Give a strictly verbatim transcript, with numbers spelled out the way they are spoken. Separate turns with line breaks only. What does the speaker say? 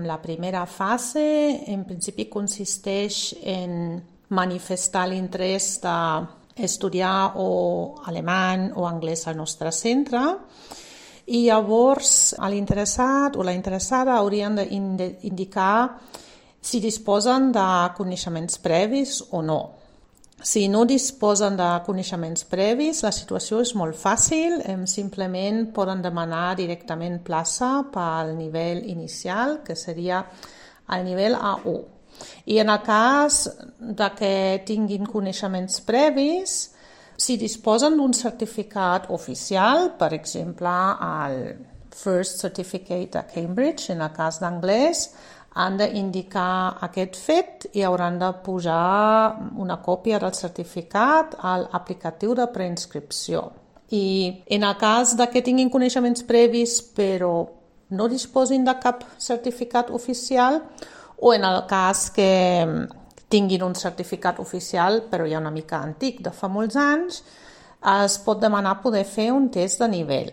La primera fase, en principi, consisteix en manifestar l'interès d'estudiar o alemany o anglès al nostre centre, i llavors l'interessat o la interessada haurien d'indicar si disposen de coneixements previs o no. Si no disposen de coneixements previs, la situació és molt fàcil, simplement poden demanar directament plaça pel nivell inicial, que seria el nivell A u. I en el cas de que tinguin coneixements previs, si disposen d'un certificat oficial, per exemple, el First Certificate a Cambridge, en el cas d'anglès, han d'indicar aquest fet i hauran de posar una còpia del certificat a l'aplicatiu de preinscripció. I en el cas de que tinguin coneixements previs però no disposin de cap certificat oficial, o en el cas que tinguin un certificat oficial però ja una mica antic, de fa molts anys, es pot demanar poder fer un test de nivell.